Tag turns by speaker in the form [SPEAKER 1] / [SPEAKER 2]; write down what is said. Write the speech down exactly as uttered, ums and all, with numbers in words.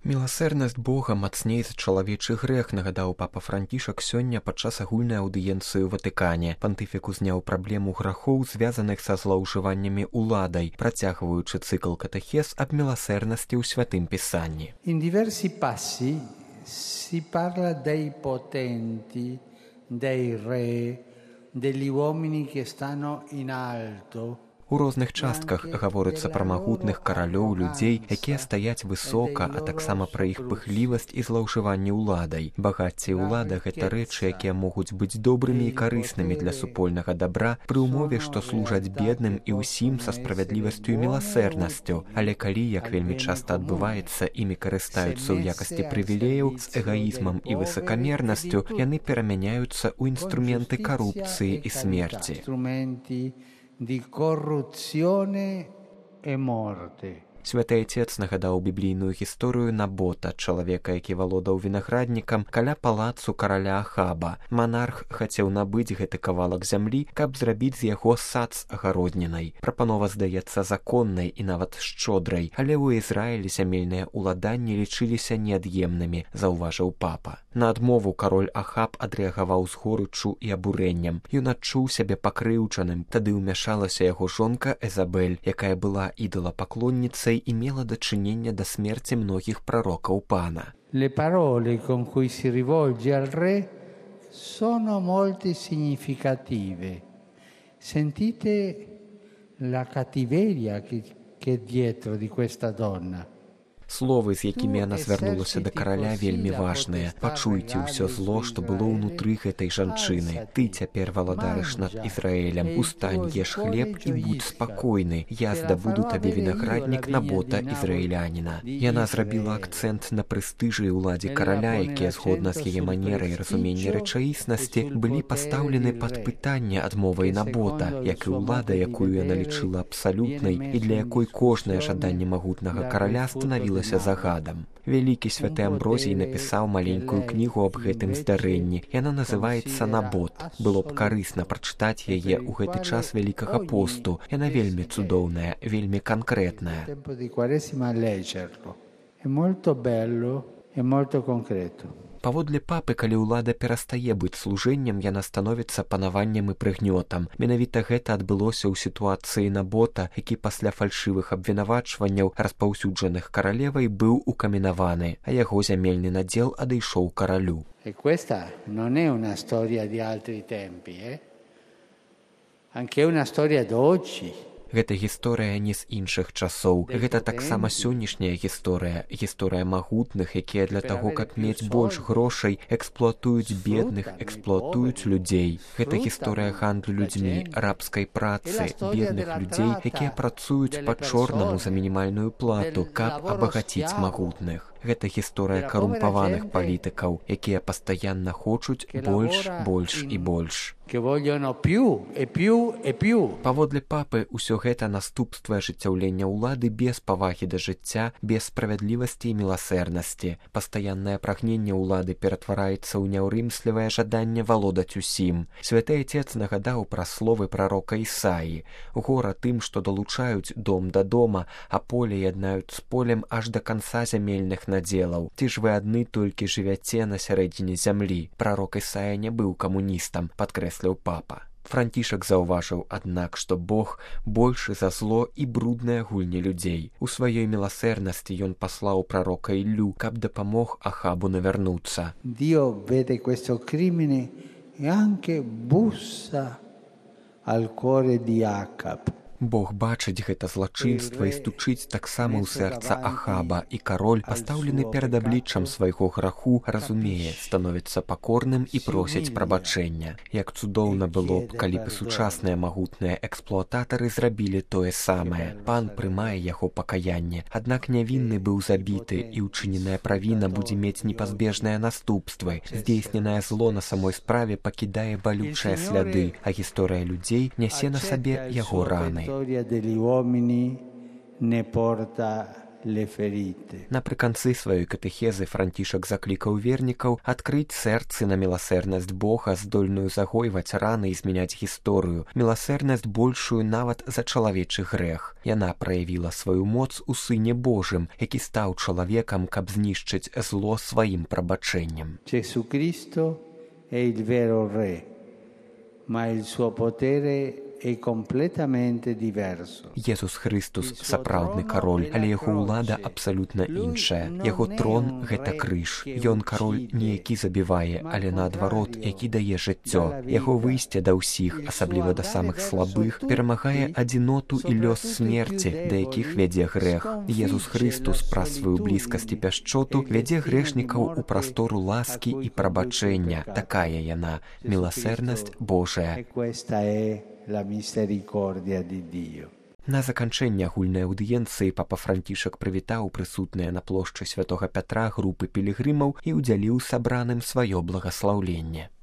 [SPEAKER 1] Міласэрнасць Бога мацней за чалавечы грэх, нагадаў папа Францішак сёння падчас агульнай аўдыенцыі ў Ватыкане. Пантыфік узняў праблему грахоў, звязаных са злоўжываннямі уладай, працягваючы цыкл катэхез аб міласэрнасці ў святым пісанні.
[SPEAKER 2] In diversi passi si parla dei potenti, dei re, degli uomini che stanno in alto.
[SPEAKER 1] У розных частках гаворыцца пра магутных каралёў, людзей, якія стаяць высока, а таксама пра іх пыхлівасць і злоўжыванне ўладай. Багацце і ўлада — гэта рэчы, якія могуць быць добрымі і карыснымі для супольнага дабра пры ўмове, што служаць бедным і ўсім са справядлівасцю і міласэрнасцю. Але калі, як вельмі часта адбываецца, імі карыстаюцца ў якасці прывілеяў з эгаізмам і высакамернасцю, яны перамяняюцца ў інструменты карупцыі і смерці.
[SPEAKER 2] Di corruzione e morte.
[SPEAKER 1] Святы Отец нагадаў біблійную гісторыю Набота, чалавека, які валодаў вінаграднікам каля палацу караля Ахаба. Манарх хацеў набыць гэты кавалак зямлі, каб зрабіць з яго сад з агароднінай. Прапанова здаецца законнай і нават шчодрай, але ў Ізраілі зямельныя ўладанні лічыліся неад'емнымі, заўважыў папа. На адмову кароль Ахаб адрэагаваў з горыччу і абурэннем. Ён адчуў сябе пакрыўджаным, тады ўмяшалася яго жонка Эзабель, якая была ідалапаклонніцай і мела дачынення да смерці многіх прарокаў пана.
[SPEAKER 2] Le parole con cui si rivolge al re sono molto significative. Sentite la cattiveria che che dietro di questa donna.
[SPEAKER 1] Словы, з якімі яна звярнулася да караля, вельмі важныя. Пачуйце ўсё зло, што было ўнутры гэтай жанчыны. Ты цяпер валадарыш над Ізраэлем. Устань, еш хлеб і будь спакойны. Я здабуду табе вінаграднік Набота ізраіляніна. Яна зрабіла акцэнт на прэстыжы і ўладзе караля, якія, згодна з яе манерай разумення рэчаіснасці, былі пастаўлены пад пытанне адмовай Набота, як і ўлада, якую яна лічыла абсалютнай і для якой кожнае жаданне магутнага караля станавілася загадам. Вялікі святы Амброзій напісаў маленькую кнігу аб гэтым здарэнні. Яна называецца «Набот». Было б карысна прачытаць яе ў гэты час Вялікага посту. Яна вельмі цудоўная, вельмі канкрэтная. Паводле папы, калі ўлада перастае быць служэннем, яна становіцца панаваннем і прыгнётам. Менавіта гэта адбылося ў сітуацыі Набота, які пасля фальшывых абвінавачванняў, распаўсюджаных каралевай, быў укаменаваны, а яго зямельны надзел адышоў каралю.
[SPEAKER 2] E questa non è una storia di altri tempi, eh? Anche una storia d'oggi.
[SPEAKER 1] Гэта гісторыя не з іншых часоў. Гэта таксама сённяшняя гісторыя, гісторыя магутных, якія для таго, каб мець больш грошай, эксплуатуюць бедных, эксплуатуюць людзей. Гэта гісторыя гандлю людзьмі, рабскай працы, бедных людзей, якія працуюць па-чорнаму за мінімальную плату, каб абагаціць магутных. Гэта гісторыя карумпаваных палітыкаў, якія пастаянна хочуць больш, больш і больш. Паводле папы, ўсё гэта наступствы ажыццяўлення ўлады без павагі да жыцця, без справядлівасці і міласэрнасці. Пастаяннае прагненне ўлады ператвараецца ў няўрымслівае жаданне валодаць усім. Святы Отец нагадаў пра словы прарока Ісаі. Гора тым, што далучаюць дом да дома, а поле яднаюць з полем аж да канца зямельных надзелаў. Ці ж вы адны толькі жывяце на сярэдзіне зямлі. Прарок Ісая не быў камуністам, падкрэсліў папа. Францішак заўважыў, аднак, што Бог большы за зло і брудныя гульні людзей. У сваёй міласэрнасці ён паслаў прарока Іллю, каб дапамог Ахабу навярнуцца.
[SPEAKER 2] Dio vede questo crimine e anche bussa al cuore di Acab.
[SPEAKER 1] Бог бачыць гэта злачынства і стучыць таксама ў сэрца Ахаба, і кароль, пастаўлены перад абліччам свайго граху, разумее, становіцца пакорным і просіць прабачэння. Як цудоўна было б, калі б сучасныя магутныя эксплуататары зрабілі тое самае. Пан прымае яго пакаянне, аднак нявінны быў забіты, і ўчыненая правіна будзе мець непазбежныя наступствы. Здзейсненае зло на самой справе пакідае балючыя сляды, а гісторыя людзей нясе на сабе яго раны.
[SPEAKER 2] La storia degli uomini ne porta le ferite.
[SPEAKER 1] Напрыканцы сваёй катэхезы Францішак заклікаў вернікаў адкрыць сэрцы на міласэрнасць Бога, здольную загойваць раны і змяняць гісторыю, міласэрнасць большую нават за чалавечы грэх. Яна праявіла сваю моц у Сыне Божым, які стаў чалавекам, каб знішчыць зло сваім прабачэннем.
[SPEAKER 2] Gesù Cristo è il vero Re, ma il suo potere è completamente diverso.
[SPEAKER 1] Jesús Христус сапраўдны кароль, але яго ўлада абсалютна іншая. Яго трон — гэта крыж. Ён кароль не які забівае, але наадварот, які дае жыццё. Яго выйсце да ўсіх, асабліва да самых слабых, перамагае адзіноту і лёс смерці, да якіх вядзе грэх. Jesús Христус праз сваю блізкасць і пяшчоту вядзе грэшнікаў у прастору ласкі і прабачэння. Такая яна, міласэрнасць Божая.
[SPEAKER 2] La misericordia di Dio.
[SPEAKER 1] На заканчэнне агульнай аўдыенцыі папа Францішак прывітаў прысутныя на плошчы святога Пятра групы пілігрымаў і ўдзяліў сабраным сваё благаслаўленне.